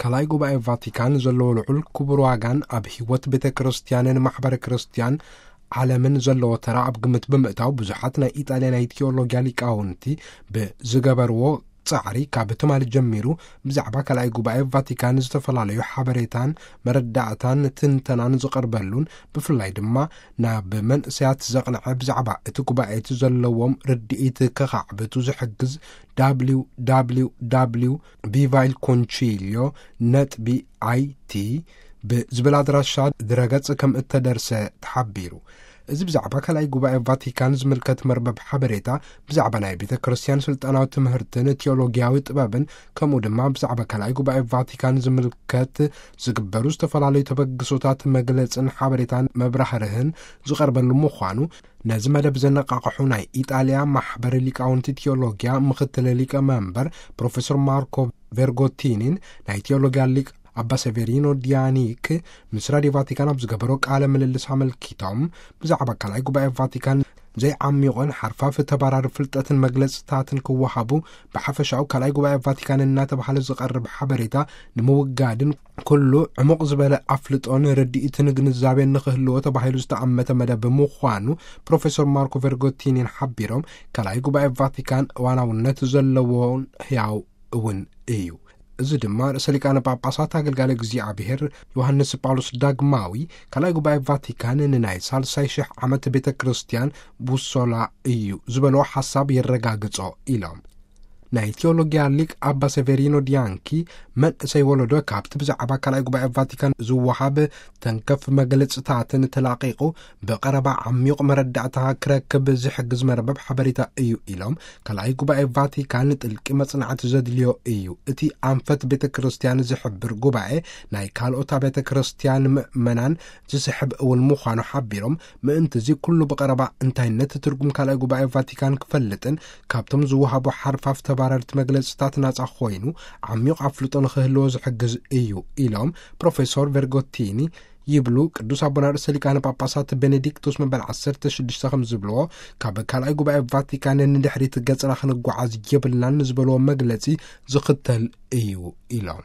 ካልኣይ ጉባኤ ቫቲካን ዘለዎ ልዑል ክቡር ዋጋን ኣብ ህይወት ቤተ ክርስቲያንን ማሕበረ ክርስቲያን ዓለምን ዘለዎ ተራ ኣብ ግምት ብምእታው፣ ብዙሓት ናይ ኢጣልያ ናይ ቴዎሎጊያ ሊቃውንቲ ብዝገበርዎ ጻዕሪ፣ ካብ ትማሊ ጀሚሩ ብዛዕባ ካልኣይ ጉባኤ ቫቲካን ዝተፈላለዩ ሓበሬታን መረዳእታን ትንተናን ዝቐርበሉን፣ ብፍላይ ድማ ናብ መንእሰያት ዘቕንዐ፣ ብዛዕባ እቲ ጉባኤ እቲ ዘለዎም ርድኢት ከኻዕብቱ ዝሕግዝ፣ W W W Viva il Concilio ነጥቢ I T ብዝብል ኣድራሻ ድረገጽ ከም እተደርሰ ተሓቢሩ። እዚ ብዛዕባ ካልኣይ ጉባኤ ቫቲካን ዝምልከት መርበብ ሓበሬታ፣ ብዛዕባ ናይ ቤተ ክርስቲያን ስልጣናዊ ትምህርትን ቴዎሎጊያዊ ጥበብን፣ ከምኡ ድማ ብዛዕባ ካልኣይ ጉባኤ ቫቲካን ዝምልከት ዝግበሩ ዝተፈላለዩ ተበግሶታት መግለጽን ሓበሬታን መብራህርህን ዝቐርበሉ ምዃኑ፣ ነዚ መደብ ዘነቃቕሑ ናይ ኢጣልያ ማሕበር ሊቃውንቲ ቴዎሎጊያ ምኽትል ሊቀ መንበር ፕሮፌሰር ማርኮ ቬርጎቲኒን ናይ ቴዎሎጊያ ሊቅ ኣባ ሰቬሪኖ ዲያኒክ ምስ ራዲዮ ቫቲካን ኣብ ዝገበሮ ቃለ ምልልስ ኣመልኪቶም፣ ብዛዕባ ካልኣይ ጉባኤ ቫቲካን ዘይዓሚቑን ሓርፋፍ ተባራሪ ፍልጠትን መግለጽታትን ክወሃቡ፣ ብሓፈሻኡ ካልኣይ ጉባኤ ቫቲካን እናተባህለ ዝቐርብ ሓበሬታ ንምውጋድን ኩሉ ዕሙቕ ዝበለ ኣፍልጦን ርድኢትን ግንዛቤን ንኽህልዎ ተባሂሉ ዝተኣመተ መደብ ምዃኑ ፕሮፌሰር ማርኮ ቬርጎቲኒን ሓቢሮም፣ ካልኣይ ጉባኤ ቫቲካን እዋናውነት ዘለዎን ህያው እውን እዩ። እዚ ድማ ርእሰ ሊቃነ ጳጳሳት ኣገልጋሊ እግዚኣብሔር ዮሃንስ ጳውሎስ ዳግማዊ፣ ካልኣይ ጉባኤ ቫቲካን ንናይ ሳልሳይ ሽሕ ዓመት ቤተ ክርስቲያን ቡሶላ እዩ ዝበሎ ሓሳብ የረጋግጾ ኢሎም። ናይ ቴዎሎጊያ ሊቅ ኣባ ሰቬሪኖ ዲያንኪ፣ መንእሰይ ወለዶ ካብቲ ብዛዕባ ካልኣይ ጉባኤ ቫቲካን ዝወሃብ ተንከፍ መግለጽታትን ተላቒቑ ብቐረባ ዓሚቕ መረዳእታ ክረክብ ዝሕግዝ መርበብ ሓበሬታ እዩ ኢሎም፣ ካልኣይ ጉባኤ ቫቲካን ጥልቂ መጽናዕቲ ዘድልዮ እዩ። እቲ ኣንፈት ቤተ ክርስቲያን ዝሕብር ጉባኤ ናይ ካልኦት ቤተ ክርስቲያን ምእመናን ዝስሕብ እውን ምዃኑ ሓቢሮም፣ ምእንቲ እዚ ኩሉ ብቐረባ እንታይነት ትርጉም ካልኣይ ጉባኤ ቫቲካን ክፈልጥን ካብቶም ዝወሃቡ ሓርፋፍ ተባረርቲ መግለጽታት ናጻ ኮይኑ ዓሚቕ ኣፍልጦ ንኽህልዎ ዝሕግዝ እዩ ኢሎም ፕሮፌሰር ቬርጎቲኒ። ይብሉ ቅዱስ ኣቦና ርእሰ ሊቃነ ጳጳሳት ቤኔዲክቶስ መበል ዓሰርተ ሽዱሽተ ከም ዝብልዎ፣ ካብ ካልኣይ ጉባኤ ቫቲካን ንድሕሪት ገጽና ክንጓዓዝ የብልናን ንዝበልዎ መግለጺ ዝኽተል እዩ ኢሎም።